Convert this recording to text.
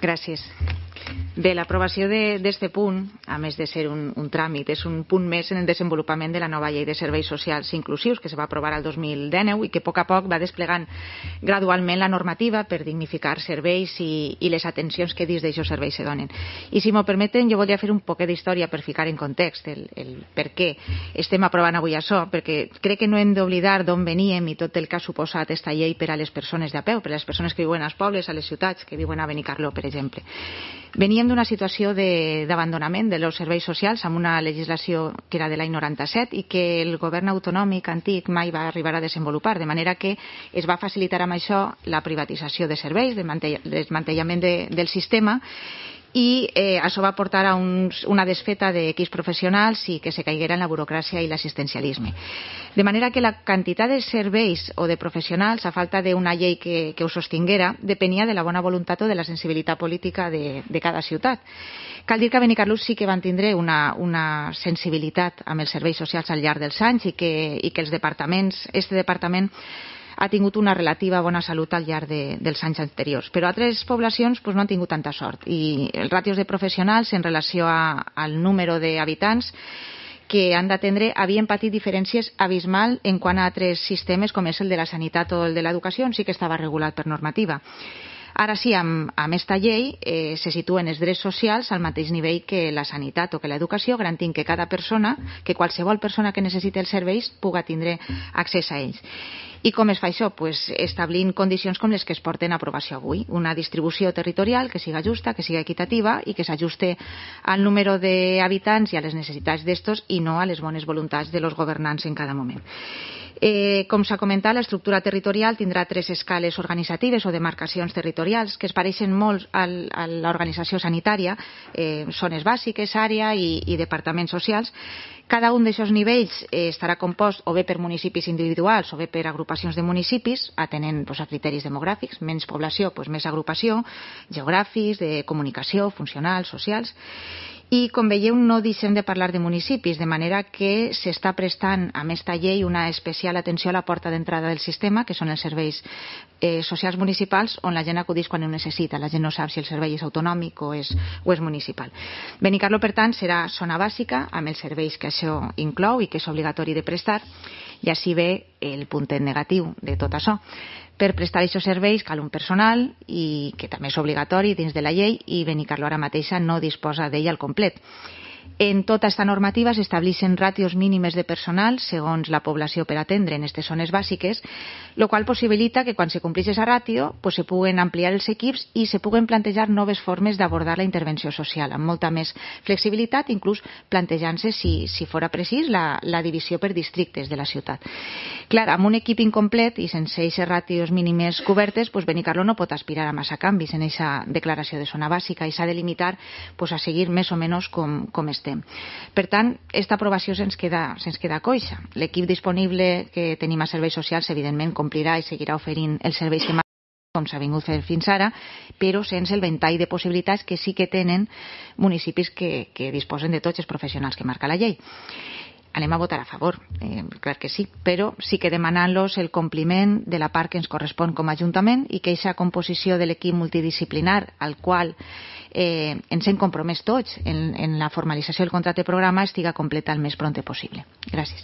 Gràcies. Bé, l'aprovació d'aquest punt, a més de ser un tràmit, és un punt més en el desenvolupament de la nova llei de serveis socials inclusius que se va aprovar el 2019 i que a poc va desplegant gradualment la normativa per dignificar serveis i les atencions que dins d'aixòs serveis se donen. I si m'ho permeten, jo voldria fer un poquet d'història per ficar en context el per què estem aprovant avui això, perquè crec que no hem d'oblidar d'on veníem i tot el que ha suposat aquesta llei per a les persones de a peu, per a les persones que viuen als pobles, a les ciutats, que viuen a Benicarló, per exemple. Veníem d'una situació d'abandonament dels serveis socials amb una legislació que era de l'any 97 i que el govern autonòmic antic mai va arribar a desenvolupar, de manera que es va facilitar amb això la privatització de serveis, el desmantellament del sistema, i això va portar a una desfeta d'equips professionals i que se caiguera en la burocràcia i l'assistencialisme. De manera que la quantitat de serveis o de professionals, a falta d'una llei que ho sostinguera, depenia de la bona voluntat o de la sensibilitat política de cada ciutat. Cal dir que a Benicarló sí que van tindre una sensibilitat amb els serveis socials al llarg dels anys i que els departaments, este departament ha tingut una relativa bona salut al llarg dels anys anteriors. Però altres poblacions no han tingut tanta sort i els ràtios de professionals en relació al número d'habitants que han d'atendre havien patit diferències abismal en quant a altres sistemes com és el de la sanitat o el de l'educació, on sí que estava regulat per normativa. Ara sí, amb aquesta llei se situen els drets socials al mateix nivell que la sanitat o que l'educació, garantint que cada persona, que qualsevol persona que necessiti els serveis puga tindre accés a ells. I com es fa això? Establint condicions com les que es porten a aprovació avui. Una distribució territorial que siga justa, que siga equitativa i que s'ajuste al número d'habitants i a les necessitats d'estos i no a les bones voluntats de los governants en cada moment. Com s'ha comentat, l'estructura territorial tindrà 3 escales organitzatives o demarcacions territorials que es pareixen molt a l'organització sanitària, zones bàsiques, àrea i departaments socials. Cada un d'aquests nivells estarà compost o bé per municipis individuals o bé per agrupacions de municipis, atenent a criteris demogràfics, menys població, més agrupació, geogràfics, de comunicació, funcionals, socials. I, com veieu, no deixem de parlar de municipis, de manera que s'està prestant amb aquesta llei una especial atenció a la porta d'entrada del sistema, que són els serveis socials municipals, on la gent acudeix quan ho necessita. La gent no sap si el servei és autonòmic o és municipal. Benicarló, per tant, serà zona bàsica amb els serveis que això inclou i que és obligatori de prestar, i així ve el puntet negatiu de tot això. Per prestar aquests serveis cal un personal i que també és obligatori dins de la llei i Benicarló ara mateixa no disposa d'ell al complet. En tota aquesta normativa s'estableixen ràtios mínimes de personal segons la població per atendre en aquestes zones bàsiques, el qual possibilita que quan se compleix aquesta ràtio se puguen ampliar els equips i se puguen plantejar noves formes d'abordar la intervenció social, amb molta més flexibilitat, inclús plantejant-se, si fora precís, la divisió per districtes de la ciutat. Clar, amb un equip incomplet i sense aquestes ràtios mínimes cobertes, Benicarló no pot aspirar a massa canvis en aquesta declaració de zona bàsica i s'ha de limitar a seguir més o menys com estem. Per tant, aquesta aprovació se'ns queda coixa. L'equip disponible que tenim a serveis socials, evidentment, complirà i seguirà oferint els serveis que com s'ha vingut fent fins ara, però sense el ventall de possibilitats que sí que tenen municipis que disposen de tots els professionals que marca la llei. Anem a votar a favor, clar que sí, però sí que demanant-los el compliment de la part que ens correspon com a Ajuntament i que aquesta composició de l'equip multidisciplinar al qual ens hem compromès tots en la formalització del contracte programa estiga completa el més pront possible. Gràcies.